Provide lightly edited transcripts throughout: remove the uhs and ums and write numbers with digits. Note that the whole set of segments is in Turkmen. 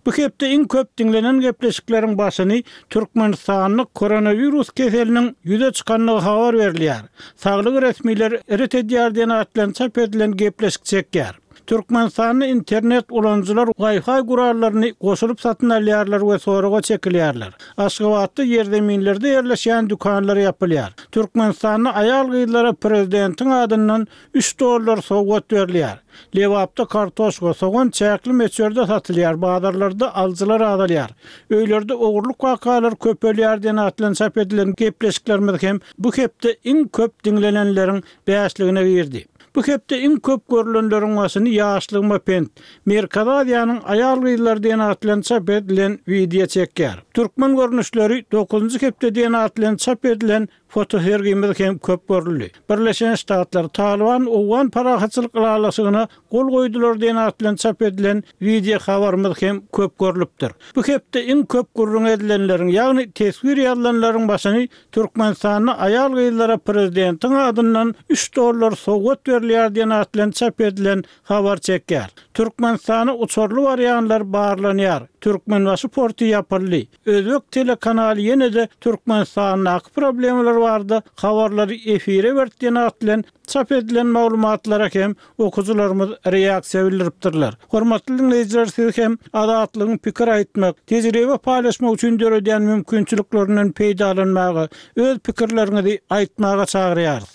Bu hepde iň köp diňlenen gepleşikleriň başyny Türkmenistanda koronawirus keseliniň ýüze çykandygy habar berilýär. Saglyk resmileri ret edýär diýen at bilen çap edilen gepleşik çekýär. Türkmenistanda internet ulanyjylar Wi-Fi gurallaryny goşulyp satyn alýarlar we soraga çekilýärler. Aşgabatda ýerzeminlerde ýerleşýän dükanlar ýapylýar. Türkmenistanda aýal-gyzlara prezidentiň adyndan üç dollar sowgat berilýär. Lebapda kartoşka, sogan çäkli möçberde satylýar, bazarlarda alyjylar azalýar. Öýlerde ogurlyk wakalary köpelýär diýen at bilen çap edilen gepleşiklerimiz hem bu hepde iň köp diňlenenleriň bäşligine girdi. Bu hepde iň köp görlenleriň başyny Ýaşlygyma pent, Merkezi Aziýanyň aýal-gyzlary diýen at bilen çap edilen wideo çekýär. Türkmen görnüşleri dokuzynjy hepde diýen at bilen çap edilen Fotosergimiz hem köp görüldi. Birleşen Ştatlar, Talyban owgan parahatçylyk ylalaşygyna gol goýdular diýen at bilen çap edilen wideo habarymyz hem köp görlüpdir. Bu hepde iň köp gürrüň edilenleriň, ýagny teswir ýazylanlaryň başyny Türkmenistanda aýal-gyzlara prezidentiň adyndan üç dollar sowgat berilýär diýen at bilen çap edilen habar çekýär. Türkmenistana uçarly barýanlar barlanýar. Türkmenbaşy porty ýapyldy. Özbek telekanaly ýene-de Türkmenistandaky problemalar barada habarlary efire berdi diýen at bilen çap edilen maglumatlara hem okyjylarymyz reaksiýa bildiripdirler. Hormatly diňleýjiler siz hem Azatlygyň pikir aýtmak, tejribe paýlaşmak üçin döredýän mümkinçiliklerinden peýdalanmaga, öz pikirleriňizi aýtmaga çagyrýarys.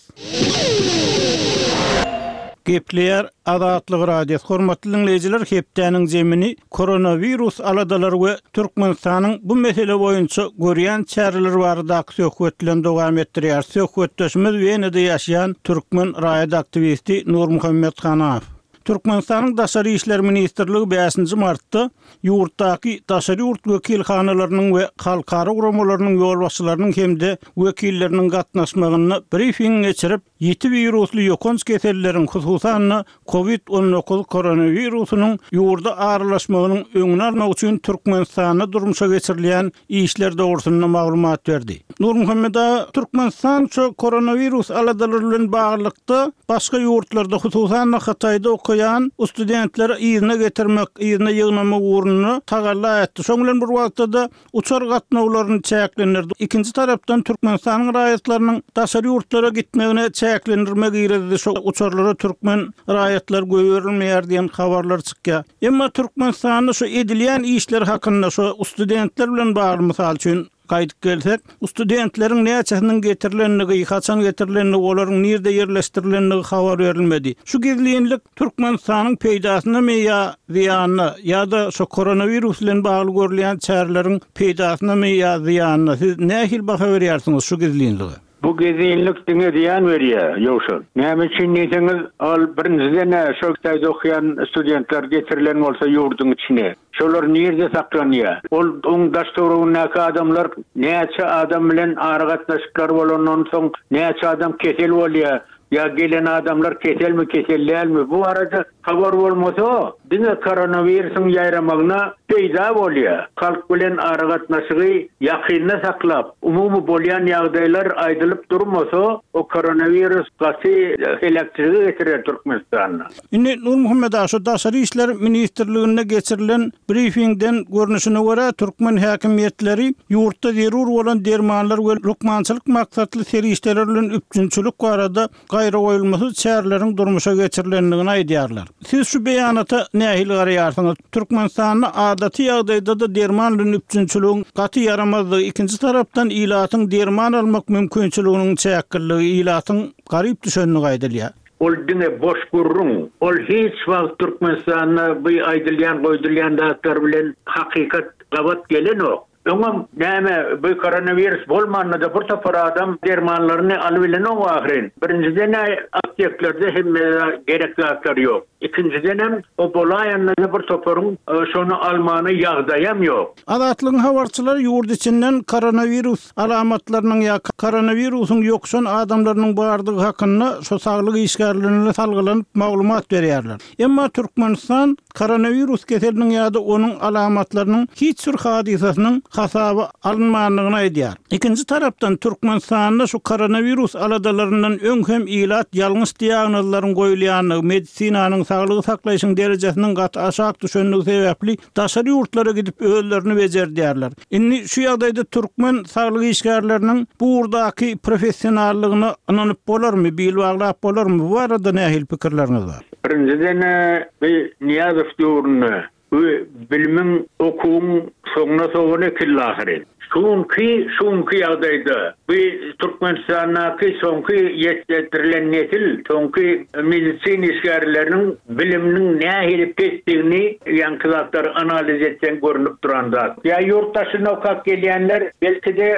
Gepleýär Azatlyk Radiosy Hormatly diňleýjiler hepdäniň zemini koronawirus aladalary we Türkmenistanyň bu mesele boýunça görýän çäreleri baradaky söhbet bilen dowam etdirýär. Söhbetdeşimiz Wenada ýaşaýan türkmen raýat aktiwisti Nurmuhammet Hanaw. Türkmenistanyň Daşary işler ministrligi bäşinji martda ýurtdaky daşary ýurt wekilhanalarynyň we halkara guramalarynyň ýolbaşçylarynyň hem-de wekilleriniň gatnaşmagynda brifing geçirip, ýiti wirusly ýokanç keselleriň, hususan-da, Covid 19 koronawirusynyň ýurda aralaşmagynyň öňüni almak üçin Türkmenistanda durmuşa geçirilýän işler dogrusynda maglumat berdi. Nurmuhammet aga, Türkmenistan şu koronawirus aladalary bilen baglylykda başga ýurtlarda, hususan-da Hytaýda okaýan studentleri yzyna getirmek, yzyna ýygnamak ugrunda tagalla etdi. Şoň bilen bir wagtda-da uçar gatnawlaryny çäklendirdi. Ikinji tarapdan Türkmenistanyň raýatlarynyň daşary ýurtlara gitmegine çäklendirme girizdi. Şo uçarlara türkmen raýatlary goýberilmeýär diýen habarlar çykýar. Emma Türkmenistanda şu edilýän işler hakynda şo studentler bilen bagly mysal üçin gaýdyp gelsek, studentleriň näçesiniň getirilendigi, haçan getirilendigi, olaryň nirde ýerleşdirilendigi habar berilmedi. Şu gizlinlik Türkmenistanyň peýdasynamy ýa zyýanyna, ýa-da şu koronawirus bilen bagly görülýän çäreleriň peýdasynamy ýa zyýanyna siz nähili baha berýärsiňiz şu gizlinlige? Bu gizlinlik diňe zyýan berýär, Ýowşan. Näme üçin diýseňiz, ol birinjiden-ä şol Hytaýda okaýan studentler getirilen bolsa ýurduň içine, şolar nirde saklanýar? Ol oň daş-töweregindäki adamlar näçe adam bilen aragatnaşyklary bolandan soň näçe adam kesel bolýar? Ýa gelen adamlar keselmi, kesel dälmi, bu barada habar bolmasa, diňe koronawirusyň ýaýramagyna peýda bolýar. Halk bilen aragatnaşygy ýakynda saklap, umumy bolýan ýagdaýlar aýdylyp durmasa, o koronawirus gaty heläkçilige getirer Türkmenistanda. Indi Nurmuhammet aga, şu Daşary işler ministrliginde geçirilen brifingden görnüşine görä, türkmen häkimiýetleri ýurtda zerur bolan dermanlar we lukmançylyk maksatly serişdeler bilen üpjünçilik barada gaýragoýulmasyz çäreleriň durmuşa geçirilendigini aýdýarlar. Siz şu beýanata nähili garaýarsyňyz? Türkmenistanda adaty ýagdaýda-da derman bilen üpjünçiligiň gaty ýaramazdygy, ikinji tarapdan ilatyň derman almak mümkinçiliginiň çäkliligi, ilatyň garyp düşendigi aýdylýar. Ol diňe boş gürrüň. Ol hiç wagt Türkmenistanda bu aýdylýan goýdulýan zatlar bilen hakykat gabat gelenok. Öňem näme bu koronawirus bolmanda-da bir topar adam dermanlaryny alybilenok ahyryn. Birinjiden-ä apteklerde hemme gerek zatlar ýok. Ikinjidenem o bolaýanda-da bir toparyň şony almana ýagdaýam ýok. Azatlygyň habarçylary ýurt içinden koronawirus alamatlarynyň ýa koronawirusyň ýokuşan adamlarynyň bardygy hakynda şu saglyk işgärlerine salgylanyp maglumat berýärler. Emma Türkmenistan koronawirus keseliniň ýa-da onuň alamatlarynyň hiç bir hadysasynyň hasaba alynmandygyny aýdýar. Ikinji tarapdan, Türkmenistanda şu koronawirus aladalaryndan öň hem ilat ýalňyş diagnozlaryň goýulýandygy, medisinanyň. saglygy saklaýşyň derejesiniň gaty aşak düşendigi sebäpli daşary ýurtlara gidip özlerini bejerdýärler. Indi şu ýagdaýda türkmen saglyk işgärleriniň bu ugurdaky professionallygyna ynanyp bolarmy, bil baglap bolarmy? Bu barada nähili pikirleriňiz bar? Birinjiden-ä, bu Nyýazow döwründe Bu bilimiň, okuwyň soňuna sogan ekildi ahyryn. Şu günki, şu günki ýagdaýda bu Türkmenistandaky soňky ýetişdirilen nesil, soňky medisina işgärleriniň biliminiň nähili pesdigini ýaňky zatlary analiz etseň görnüp duran zat. Ýa ýurt daşynda okap gelýänler belki-de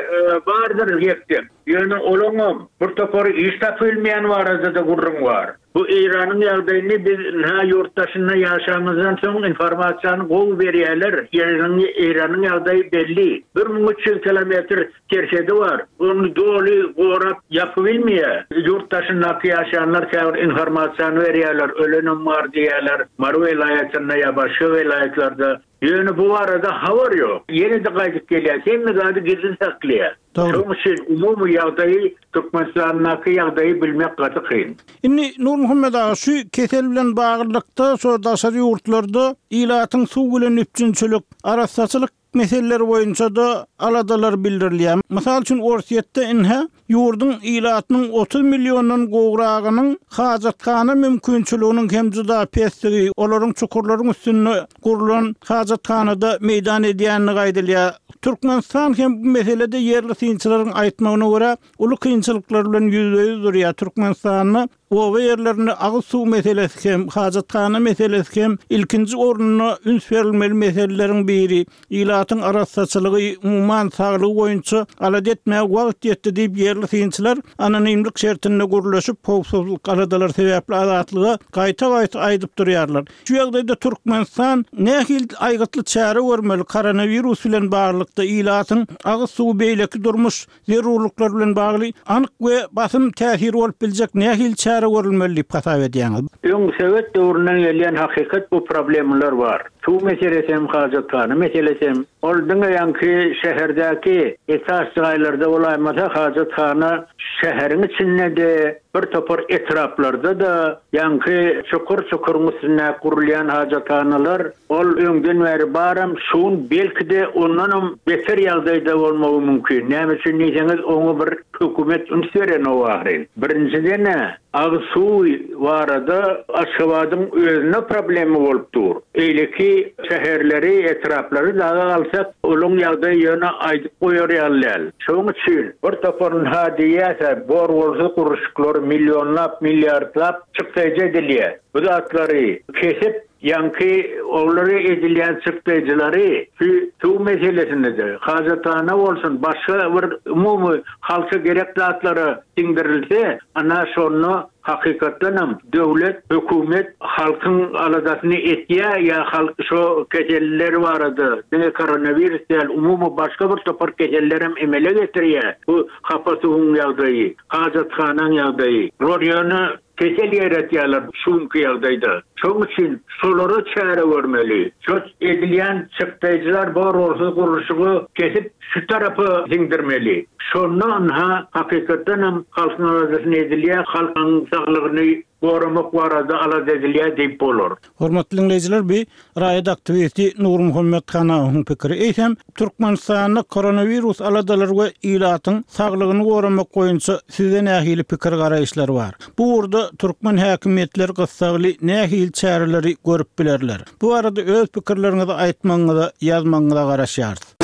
bardyr ýek-tek. Ýöne olaňam bir topary iş tapybilmeýän barada-da gürrüň bar. Bu Eýranyň ýagdaýyny biz ynha ýurt daşynda ýaşamyzdan soň informasiýany gowy berýäler. Ýeriniň Eýranyň ýagdaýy belli. 1300 kilometr serhedi bar. Ony doly gorap ýapybilmeýä. Ýurt daşyndaky ýaşaýanlar käbir informasiýany berýäler, ölenem bar diýýäler Mary welaýatynda ýa başga welaýatlarda. Ýöne bu barada habar ýok. Ýene-de gaýdyp gelýäs, hemme zady gizlin saklaýar. Şonuň üçin umumy ýagdaýy, Türkmenistandaky ýagdaýy bilmek gaty kyn. Indi Nurmuhammet aga, şu kesel bilen baglylykda şo daşary ýurtlarda ilatyň suw bilen üpjünçilik, arassaçylyk meseleleri boýunça-da aladalar bildirilýär. Mysal üçin, Orsýetde ine, Ýurduň ilatynyň 30 milliondan gowragynyň hajathana mümkinçiliginiň hem juda pesdigi, olaryň çukurlaryň üstünde gurlan hajathanada meýdan edýändigi aýdylýar. Türkmenistan hem bu meselede ýerli synçylaryň aýtmagyna görä, uly kynçylyklar bilen ýüzbe-ýüz durýar. Türkmenistanda Oba ýerlerinde agyz suw meselesi hem, hajathana meselesi hem ilkinji orunda üns berilmeli meseleleriň biri. Ilatyň arassaçylygy, umuman, saglygy boýunça alada etmäge wagt ýetdi diýip, ýerli synçylar anonimlik şertinde gürleşip, howpsuzlyk aladalary sebäpli Azatlyga gaýta-gaýta aýdyp durýarlar. Şu ýagdaýda Türkmenistan nähili aýgytly çäre görmeli koronawirus bilen baglylykda ilatyň agyz suwy beýleki durmuş zerurlyklar bilen bagly anyk we basym täsiri bolup biljek nähili çäre görülmeli diýip hasap edýäňiz? Öň sowet döwründen gelýän hakykat bu problemalar bar. Suw meselesi hem hajathana meselesi hem. Ol diňe ýaňky şäherdäki esas jaýlarda bolaýmasa hajathana şäheriň içinde-de bir topar etraplarda-da ýaňky çukur-çukuryň üstündäki gurulýan hajathanalar Ol öňden bäri baram, şu gün belki-de ondanam beter ýagdaýda bolmagy mümkin. Näme üçin diýseňiz, oňa bir hökümet üns berenok ahyryn. Birinjiden-ä, agyz suwy barada Aşgabadyň özünde problema bolup dur. Beýleki şäherleri, etraplary dagy alsak, olaň ýagdaýy ýöne aýdyp goýar ýaly däl. Şonuň üçin bir topar ynha diýýäs-ä, bor-bolsuz gurluşyklary millionlap, milliardlap çykdaýjy edilýär. Bu zatlary kesip, Ýaňky olara edilýän çykdaýjylary şu suw meselesinde-de, hajathana bolsun, başga bir umumy halka gerek zatlara siňdirilse, ana şonda hakykatdanam döwlet, hökümet halkyň aladasyny etýär ýa halk şo keseller barada, diňe koronawirus däl, umumy başga bir topar kesellerem emele getirýär bu hapa suwuň ýagdaýy, hajathanaň ýagdaýy. Bular ýöne Kesel ýaýratýarlar şu günki ýagdaýda. Şoň üçin şolara çäre görmeli. Şo edilýän çykdaýjylar bor-bolsuz gurluşygy kesip şu tarapa siňdirmeli. Şonda ynha hakykatdanam halkyň aladasyny edilýär, halkyň saglygyny goramak barada alada edilýär diýip bolar. Hormatly diňleýjiler bi raýat aktiwisti Nurmuhammet Hanawyň pikiri. Eýsem, Türkmenistanda koronawirus aladalary we ilatyň saglygyny goramak boýunça sizde nähili pikir-garaýyşlar bar? Bu ugurda türkmen häkimiýetleri gyssagly nähili çäreleri görüp bilerler? Bu barada öz pikirleriňizi aýtmagyňyza, ýazmagyňyza garaşýarys.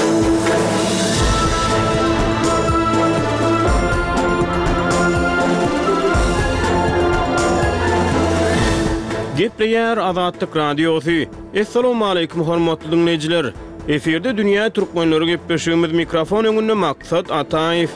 Gepleýär Azatlyk Radiosy. Assalamualaikum hormatly diňleýjiler. Efirde dünýä türkmenleri gepleşigimiz mikrofon öňünde Maksat Ataýew.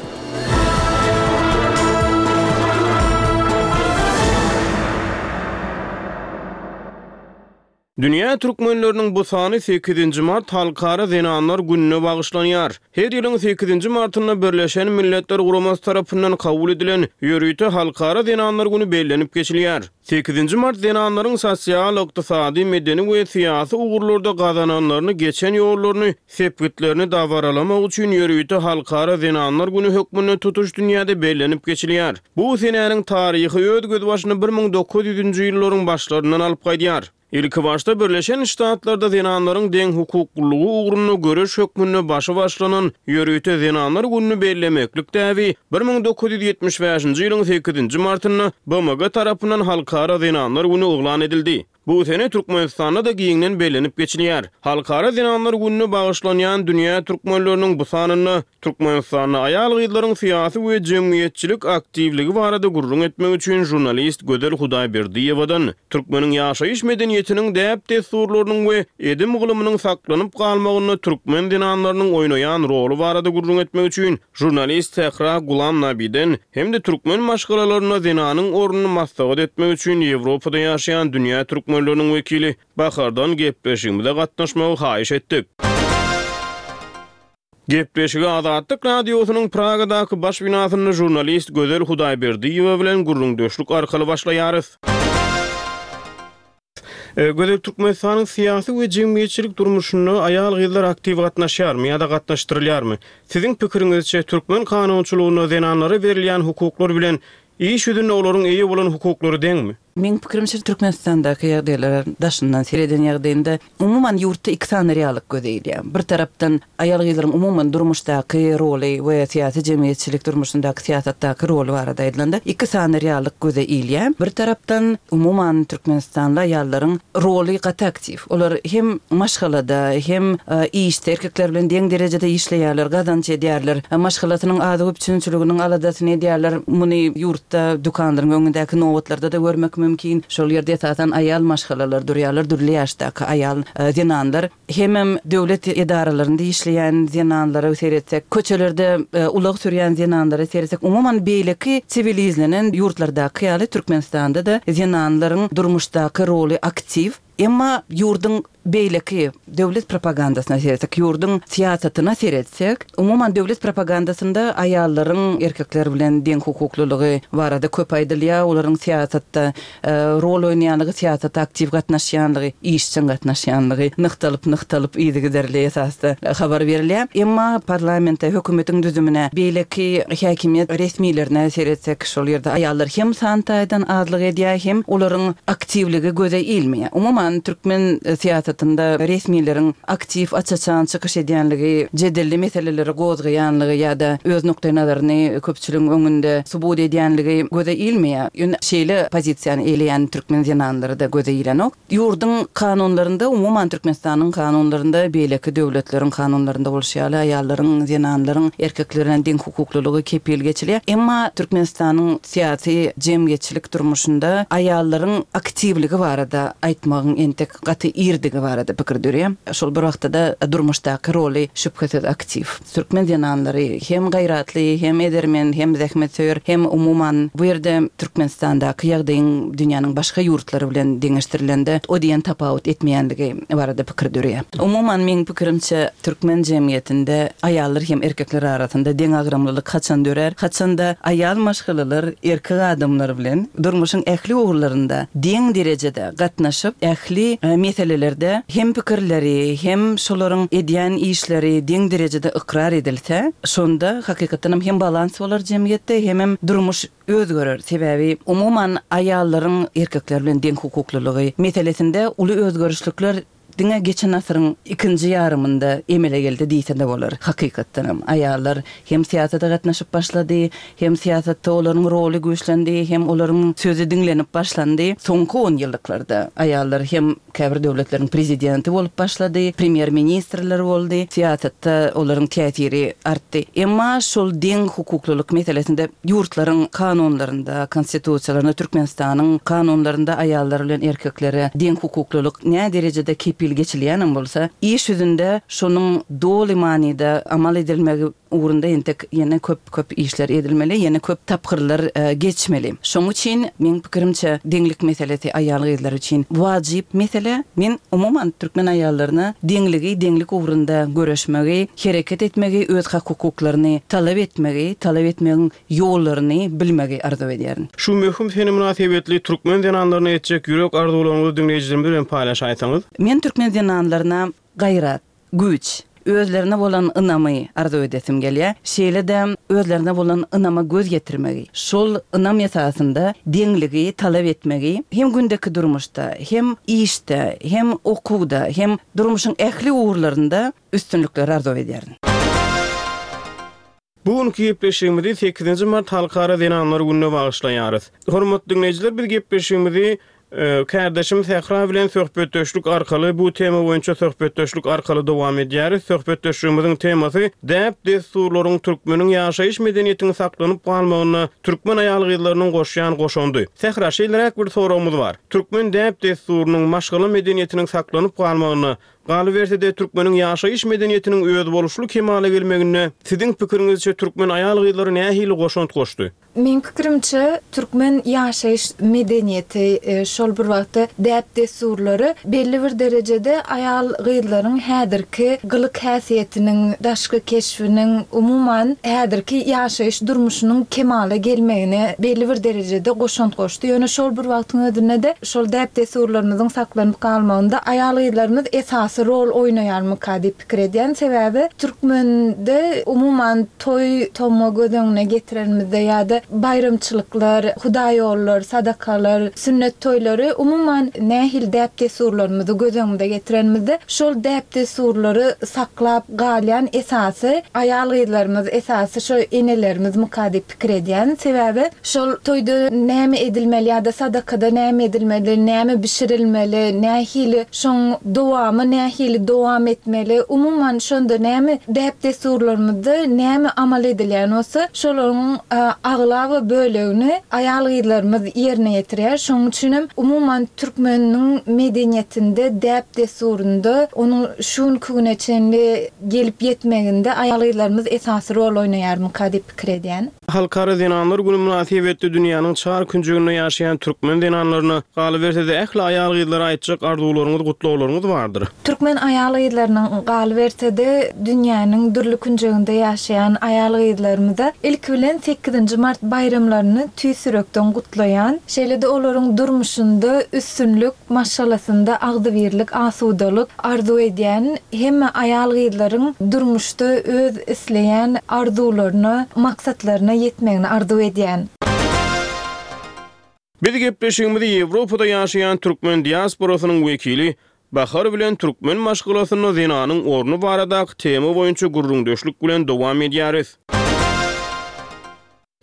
Dünýä türkmenleriniň bu sany sekizinji mart Halkara zenanlar gününe bagyşlanýar. Her ýylyň sekizinji martynda Birleşen Milletler Guramasy tarapyndan kabul edilen ýörite Halkara zenanlar güni bellenip geçilýär. Sekizinji mart zenanlaryň sosial, ykdysady, medeni we syýasy ugurlarda gazananlaryny, geçen ýollaryny, sepgitlerini dabaralamak üçin ýörite Halkara zenanlar güni hökmünde tutuş dünýäde bellenip geçilýär. Bu senäniň taryhy öz gözbaşyny 1900-nji ýyllaryň başlaryndan alyp gaýdýar. Ilkibaşda Birleşen Ştatlarda zenanlaryň deňhukuklylygy ugrunda göreş hökmünde başy başlanan ýörite Zenanlar gününi bellemeklik däbi 1975-nji ýylyň sekizinji martynda BMG tarapyndan Halkara zenanlar güni yglan edildi. Bu sene Türkmenistanda-da giňden bellenip geçilýär. Halkara zenanlar gününe bagyşlanýan Dünýä türkmenleriniň bu sanynda Türkmenistanda aýal-gyzlaryň syýasy we jemgyýetçilik aktiwligi barada gürrüň etmek üçin žurnalist Gözel Hudaýberdiýewadan türkmeniň ýaşaýyş medeniýetiniň däp-dessurlarynyň we edim-gylymynyň saklanyp galmagynda türkmen zenanlarynyň oýnaýan roly barada gürrüň etmek üçin žurnalist Sähra Gulam Nabiden hem-de türkmen maşgalalarynda zenanyň ornuny maslahat etmek üçin Ýewropada ýaşaýan dünýä türkmenleriniň wekili Bahardan gepleşigimize gatnaşmagy haýyş etdik. Gepleşigi Azatlyk Radiosynyň Pragadaky baş binasynda žurnalist Gözel Hudaýberdiýewa bilen gürrüňdeşlik arkaly başlaýarys. Gözel, Türkmenistanyň syýasy we jemgyýetçilik durmuşynda aýal-gyzlar aktiw gatnaşýarmy ýa-da gatnaşdyrylýarmy? Siziň pikiriňizçe, türkmen kanunçylygynda zenanlara berilýän hukuklar bilen iş ýüzünde olaryň eýe bolan hukuklary deňmi? Meň pikirimçe, Türkmenistandaky ýagdaýlara daşyndan sereden ýagdaýymda, umuman ýurtda iki sany reallyk göze ilýär. Bir tarapdan, aýal-gyzlaryň umuman durmuşdaky roly we syýasy-jemgyýetçilik durmuşyndaky, syýasatdaky roly barada aýdylanda, iki sany reallyk göze ilýär. Bir tarapdan, umuman türkmenistanly aýallaryň roly gaty aktiw. Olar hem maşgalada, hem işde erkekler bilen deň derejede işleýärler, gazanç edýärler. Maşgalasynyň azyk üpjünçiliginiň aladasyny edýärler. Muny ýurtda dükanlaryň öňündäki nobatlarda-da görmek mümkin. Şol ýerde esasan aýal maşgalalar durýarlar, dürli ýaşdaky aýal zenanlar. Hemem döwlet edaralarynda işleýän zenanlara seretsek, köçelerde ulag sürýän zenanlara seretsek, umuman beýleki siwilizlenen ýurtlardaky ýaly Türkmenistanda-da zenanlaryň durmuşdaky roly aktiw. Emma ýurduň beýleki döwlet propagandasyna seretsek, ýurduň syýasatyna seretsek, umuman döwlet propagandasynda aýallaryň erkekler bilen deňhukuklylygy barada köp aýdylýar, olaryň syýasatda rol oýnaýanlygy, syýasata aktiw gatnaşýanlygy, işjeň gatnaşýanlygy nygtalyp-nygtalyp yzygiderli esasda habar berilýär. Emma parlamente, hökümetiň düzümine, beýleki häkimiýet resmilerine seretsek, Şol ýerde aýallar hem san taýdan azlyk edýär, hem olaryň aktiwligi göze ilmeýär. Umuman, türkmen syýasatynda resmileriň aktiw, aç-açan çykyş edýänligi, jedelli meseleleri gozgaýanlygy ýa-da öz nukdaýnazaryny köpçüligiň öňünde subut edýänligi göze ilmeýär. Ýöne şeýle pozisiýany eýleýän türkmen zenanlary-da göze ilenok. Ýurduň kanunlarynda, umuman Türkmenistanyň kanunlarynda, beýleki döwletleriň kanunlarynda bolşy ýaly, aýallaryň, zenanlaryň erkekler bilen deň hukuklylygy kepil geçilýär. Emma Türkmenistanyň syýasy, jemgyýetçilik durmuşynda aýallaryň aktiwligi barada aýtmagyň entek gaty irdigi barada pikir döreýär. Şol bir wagtda-da durmuşdaky roly şübhesiz aktiw. Türkmen zenanlary hem gaýratly, hem edermen, hem zähmetsöýer, hem umuman bu ýerde Türkmenistandaky ýagdaýyň dünýäniň başga ýurtlary bilen deňeşdirilende o diýen tapawut etmeýänligi barada pikir döreýär. Umuman meň pikirimçe türkmen jemgyýetinde aýallar hem erkekler arasynda deňagramlylyk haçan dörär? Haçanda aýal maşgalalar erkek adamlar bilen durmuşyň ähli ugurlarynda deň derejede gatnaşyp, ähli meselelerde hem pikirleri, hem şolaryň edýän işleri deň derejede ykrar edilse, şonda hakykatdanam hem balans bolar jemgyýetde, hemem durmuş özgerer. Sebäbi umuman aýallaryň erkekler bilen deň hukuklylygy meselesinde uly özgerişlikler diňe geçen asyryň ikinji ýarymynda emele geldi diýse-de bolar. Hakykatdanam aýallar hem syýasata gatnaşyp başlady, hem syýasatda olaryň roly güýçlendi, hem olaryň sözi diňlenip başlandy. Soňky onýyllyklarda aýallar hem käbir döwletleriň prezidenti bolup başlady, premýer-ministrler boldy, syýasatda olaryň täsiri artdy. Emma şol deň hukuklylyk meselesinde ýurtlaryň kanunlarynda, konstitusiýalarynda, Türkmenistanyň kanunlarynda aýallar bilen erkeklere deň hukuklylyk näderejede kepil. hili geçilýänem bolsa, iş ýüzünde şonuň doly manyda amal edilmegi ugrunda entek ýene köp-köp işler edilmeli, ýene köp tapgyrlar geçmeli. Şonuň üçin, meň pikirimçe, deňlik meselesi aýal-gyzlar üçin wajyp mesele. Men, umuman, türkmen aýallaryna deňligi, deňlik ugrunda göreşmegi, hereket etmegi, öz hak-hukuklaryny talap etmegi, talap etmegiň ýollaryny bilmegi arzuw edýärin. Şu möhüm sene mynasybetli türkmen zenanlaryna etjek ýürek arzuwlaryňyzy diňleýjilerimiz bilen paýlaşaýsaňyz? Men türkmen zenanlaryna gaýrat, güýç, özlerine bolan ynamy arzuw edesim gelýär. Şeýle-de özlerine bolan ynama göz ýetirmegi, şol ynam esasynda deňligi talap etmegi hem gündeki durmuşda, hem işde, hem okuwda, hem durmuşyň ähli ugurlarynda üstünlikleri arzuw edýärin. Bu günki gepleşigimizi sekizinji mart Halkara zenanlar gününe bagyşlaýarys. Hormatly diňleýjiler biz gepleşigimizi kärdeşim Sähra bilen söhbetdeşlik arkaly bu tema boýunça söhbetdeşlik arkaly dowam edýäris. Söhbetdeşligimiziň temasy däp-dessurlaryň türkmeniň ýaşaýyş medeniýetiň saklanyp galmagynda türkmen aýal-gyzlarynyň goşýan goşandy. Sähra şeýleräk bir soragymyz bar. Türkmen däp-dessurynyň, maşgala medeniýetiniň saklanyp galmagynda Galyberse-de, türkmeniň ýaşaýyş medeniýetiniň özboluşly kemala gelmeginde, siziň pikiriňizçe, türkmen aýal-gyzlary nähili goşant goşdy? Meň pikirimçe, türkmen ýaşaýyş medeniýeti, şol bir wagtda däp-dessurlary belli bir derejede aýal-gyzlaryň häzirki gylyk-häsiýetiniň, daşky keşbiniň, umuman, häzirki ýaşaýyş durmuşynyň kemala gelmegine belli bir derejede goşant goşdy. Ýöne şol bir wagtyň özünde-de, Şol däp-dessurlarymyzyň saklanyp galmagynda aýal-gyzlarymyz esasy rol oýnaýarmyka diýip pikir edýän. Sebäbi türkmende umuman toý tomga göz öňüne getirenimizde ýa-da baýramçylyklar, hudaýollar, sadakalar, sünnet toýlary umuman nähili däp-dessurlarymyzy göz öňümize getirenimizde şol däp-dessurlary saklap galýan esasy aýal-gyzlarymyz, esasy şo enelerimizmika diýip pikir edýän. Sebäbi Şol toýda näme edilmeli ýa-da sadakada näme edilmeli, näme bişirilmeli, nähili şoň dowamy nähili dowam etmeli, umuman şonda näme däp-dessurlarymyzda näme amal edilýän bolsa, şolaryň aglaba bölegini aýal-gyzlarymyz ýerine ýetirýär. Şonuň üçinem umuman türkmeniň medeniýetinde, däp-dessurynda onuň şu günki güne çenli gelip ýetmeginde aýal-gyzlarymyz esasy rol oýnaýarmyka diýip pikir edýän. Halkara zenanlar güni mynasybetli dünýäniň çar künjeginde ýaşaýan türkmen zenanlaryna, galyberse-de ähli aýal-gyzlara aýtjak arzuwlaryňyz, gutlaglaryňyz bardyr. Türkmen aýal-gyzlarynyň, galyberse-de dünýäniň dürli künjeginde ýaşaýan aýal-gyzlarymyza ilki bilen sekizinji mart baýramlaryny tüýs ýürekden gutlaýan. Şeýle-de olaryň durmuşynda üstünlik, maşgalasynda agzybirlik, asudalyk arzuw edýän hemme aýal-gyzlaryň durmuşda öz isleýän arzuwlaryna, maksatlaryna ýetmegini arzuw edýän. Biz gepleşigimizi Ýewropada ýaşaýan türkmen diasporasynyň wekili Bahar bilen türkmen maşgalasynda zenanyň orny baradaky tema boýunça gürrüňdeşlik bilen dowam edýäris.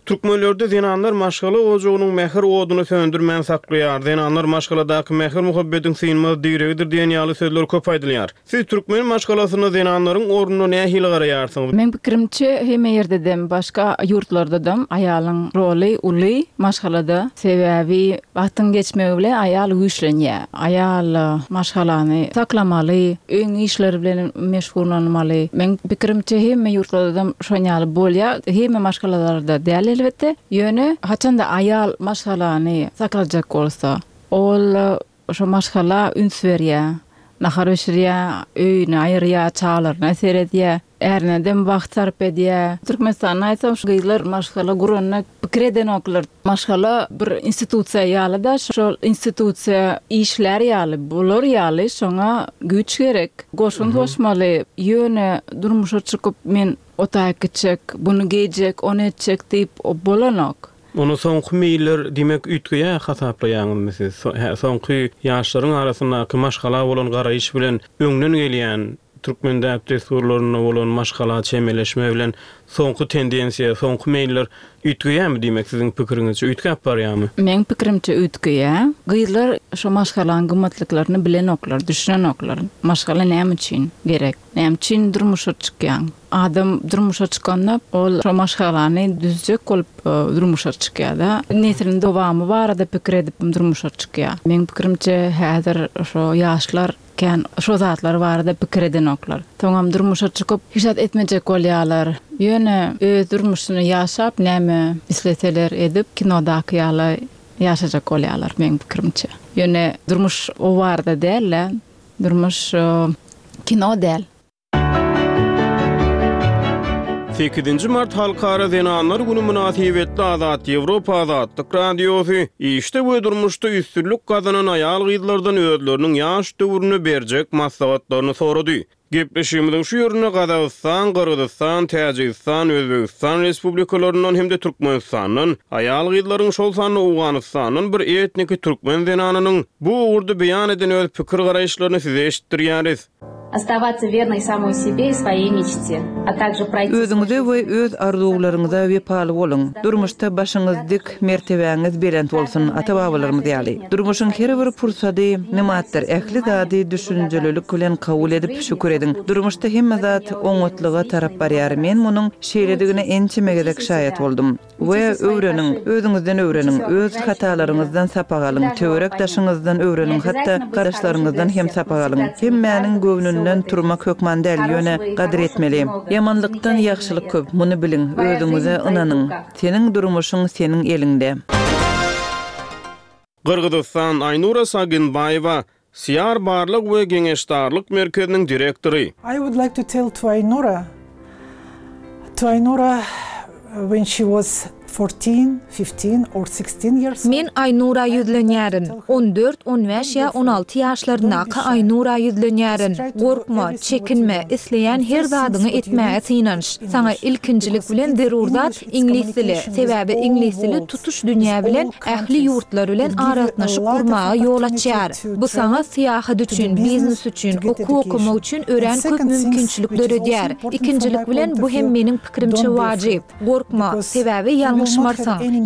Türkmenlerde zenanlar maşgala ojagynyň mähir oduny söndürmän saklaýar, zenanlar maşgaladaky mähir-muhabbetiň synmaz diregidir diýen ýaly sözler köp aýdylýar. Siz türkmen maşgalasynda zenanlaryň ornuna nähili garaýarsyňyz? Meň pikirimçe hemme ýerdedem başga ýurtlardadam aýalyň roly uly maşgalada. Sebäbi wagtyň geçmegi bilen aýal güýçlenýär. Aýal maşgalany saklamaly, öýüň işleri bilen meşgullanmaly. Meň pikirimçe hemme ýurtlardam şon ýaly bolýar. Hemme maşgalalarda däl elbetde. Ýöne haçanda aýal maşgalany saklajak bolsa, ol şo maşgala üns berýär. Nahar bişirýär, öýüni aýyrýar, çagalaryna seredýär. Ärine-dem wagt sarp edýär. Türkmenistanda aýtsam şu gyzlar maşgala guranda pikir edenoklar. Maşgala bir institusiýa ýaly-da, şol institusiýa işlär ýaly, bolar ýaly şoňa güýç gerek. Goşant goşmaly. Ýöne durmuşa çykyp men o taýyk gitjek, buny geýjek, ony etjek diýip bolanok. Onda soňky meýiller diýmek üýtgeýär hasaplaýaňyzmy siz? Soňky ýaşlaryň arasyndaky maşgala bolan garaýyş bilen öňden gelýän Türkmen däp-dessurlarynda bolan maşgala çemeleşme bilen soňky tendensiýa, soňky meýiller üýtgeýärmi diýmek siziň pikiriňizçe üýtgäp barýarmy? Meň pikirimçe üýtgeýär. Gyzlar şo maşgalaň gymmatlyklaryny bilenoklar, düşünenoklar. Maşgala näme üçin gerek? Näme üçin durmuşa çykýaň? Adam durmuşa çykanda ol şo maşgalany düzjek bolup durmuşa çykýar-da. Nesliň dowamy barada pikir edip durmuşa çykýar. Meň pikirimçe häzir şo ýaşlar. Kän şo zatlar barada pikir edenoklar. Soňam durmuşa çykyp hiç zat etmejek bolýarlar. Ýöne öz durmuşyny ýaşap näme isleseler edip kinodaky ýaly ýaşajak bolýarlar meň pikirimçe. Ýöne durmuş o barada däl-de, durmuş kino däl. Sekizinji mart Halkara zenanlar güni mynasybetli Azat Ýewropa Azatlyk Radiosy işde we durmuşda üstünlik gazanan aýal-gyzlardan özleriniň ýaş döwründe berjek maslahatlaryny sorady. Gepleşigimiziň şu ýerinde Gazagystan, Gyrgyzystan, Täjigistan, Özbegistan Respublikalaryndan hem-de Türkmenistandan aýal-gyzlaryň, şol sanda Owganystandan bir etniki türkmen zenanynyň bu ugurda beýan eden öz pikir-garaýyşlaryny size eşitdirýäris. Ostawatsya wernoý samoý sebe i svoýeý meçte, a takže proýti Özüňize we öz arzuwlaryňyza wepaly boluň. Durmuşda başyňyz dik, mertebäňiz belent bolsun, ata-babalarymyz ýaly. Durmuşyň her bir pursady nymatdyr, ähli zady düşünjelilik bilen kabul edip, şükür ediň. Durmuşda hemme zat oňatlyga tarap barýar, men munuň şeýledigine ençeme gezek şaýat boldum. We öwreniň, özüňizden öwreniň, öz hatalaryňyzdan sapak alyň, töwerek-daşyňyzdan öwreniň, hatda gardaşlaryňyzdan hem sapak alyň. Hemmäniň göwnünden turmak hökman däl, ýöne gadyr etmeli. Ýamanlykdan ýagşylyk köp, muny biliň, özüňize ynanyň. Seniň durmuşyň seniň eliňde. Gyrgyzystan, Aýnura Sagynbaýewa, Siýar barlag we geňeşdarlyk merkeziniň direktory. I would like to tell to Aynura, to Aynura when she was fourteen, fifteen or sixteen years old. Men Aýnura ýüzlenýärin. On dört, on bäş ýa on alty ýaşlaryndaky Aýnura ýüzlenýärin. Gorkma, çekinme, isleýän her zadyňy etmäge synanyş. Saňa ilkinjilik bilen zerur zat iňlis dili, sebäbi iňlis dili tutuş dünýä bilen ähli ýurtlar bilen aragatnaşyk gurmaga ýol açýar. Bu saňa syýahat üçin, biznes üçin, okuw okamak üçin örän köp mümkinçilik döredýär. Ikinjilik bilen, bu hem meniň pikirimçe wajyp. Gorkma, sebäbi ýalňyşmarsyň.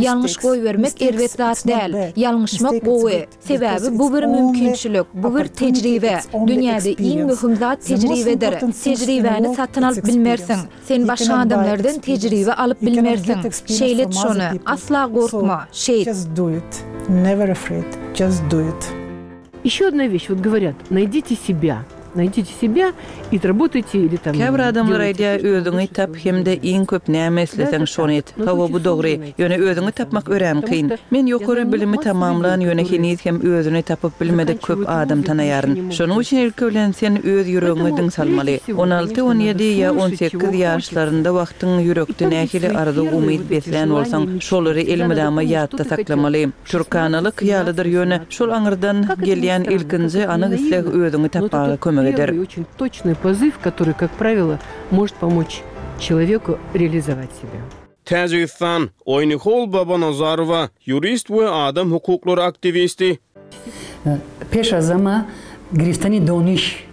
Ýalňyş goýbermek erbet zat däl. Ýalňyşmak gowy. Sebäbi bu bir mümkinçilik, bu bir tejribe. Dünýäde iň möhüm zat tejribedir. Tejribäni satyn alyp bilmersiň. Sen başga adamlardan tejribe alyp bilmersiň. Şeýle et şony. Asla gorkma. Şeýt. Еще одна вещь, вот говорят, найдите себя. Naýdite sebýa i работaýte ili tam Käbir adamlar aýdýar özüňi tap hemde iň köp näme isleseň şony et. Hawa bu dogry. Ýöne özüňi tapmak örän kyn. Men ýokary bilimi tamamlan ýöne heniz hem özüni tapyp bilmedik köp adam tanaýaryn. Şonuň üçin ilki bilen sen öz ýüregiňe diň salmaly. On alty, on ýedi ýa on sekiz ýaşlarynda wagtyň ýürekde nähili arzuw umyt beslän bolsaň şolary elmydama ýatda saklamaly. Türkanalyk ýalydyr, ýöne şol aňyrdan gelýän ilkinji anyk isleg özüňi tapmaga kömek eder. Täjigistan, Oýnihol Babanazarowa, ýurist we adam hukuklary aktiwisti. Peş az hama giriftani doniş.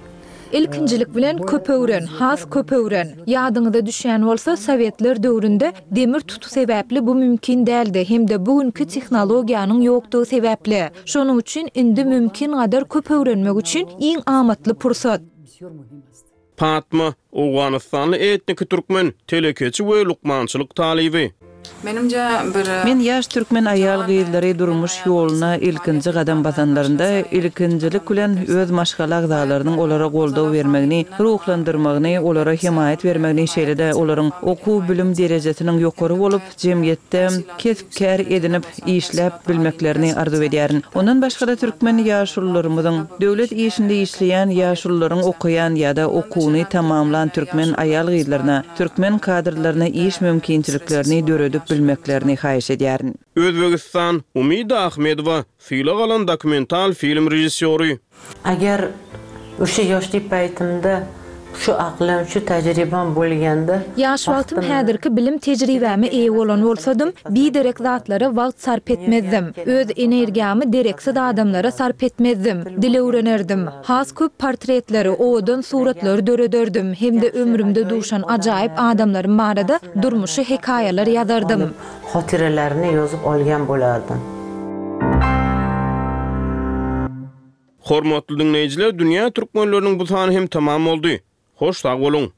Ilkinjilik bilen köp öwren, has köp öwren. Ýadyňyza düşýän bolsa, sowetler döwründe demir tuty sebäpli bu mümkin däldi hem-de bu günki tehnologiýanyň ýokdugy sebäpli. Şonuň üçin indi mümkingadar köp öwrenmek üçin iň amatly pursat. Patma, owganystanly etniki türkmen, telekeçi we lukmançylyk talyby. Menimce bir. Men ýaş türkmen aýal-gyzlary durmuş ýoluna ilkinji gadam basanlarynda ilkinjilik bilen öz maşgala agzalarynyň olara goldaw bermegini, ruhlandyrmagyny, olara hemaýat bermegini şeýle-de olaryň okuw-bilim derejesiniň ýokary bolup, jemgyýetde kesp-kär edinip işläp bilmeklerini arzuw edýärin. Ondan başga-da türkmen ýaşulularymyzyň, döwlet işinde işleýän ýaşulularyň okaýan ýa-da okuwyny tamamlan türkmen aýal-gyzlaryna, türkmen kadrlaryna iş mümkinçiliklerini döredip bilmeklerini haýyş edýärin. Özbegistan, Umida Ahmedowa, sylag alan dokumental film režissýory. Agar o'sha yoshlik paytimda shu aqlim, shu tajribam bo'lganda, Ýaş wagtym häzirki bilim tejribäme eýe bolan bolsadym, biderek zatlara wagt sarp etmezdim. Öz energiýamy dereksiz adamlara sarp etmezdim. Dil öwrenerdim. Has köp portretleri, owadan suratlary dörederdim hem-de ömrümde duşan ajaýyp adamlarym barada durmuşy hekaýalar ýazardym. Xotiralarini yozib olgan bo'lardim. Hormatly diňleýjiler, Dünýä türkmenleriniň bu sany hem tamam boldy. Hoş sag boluň!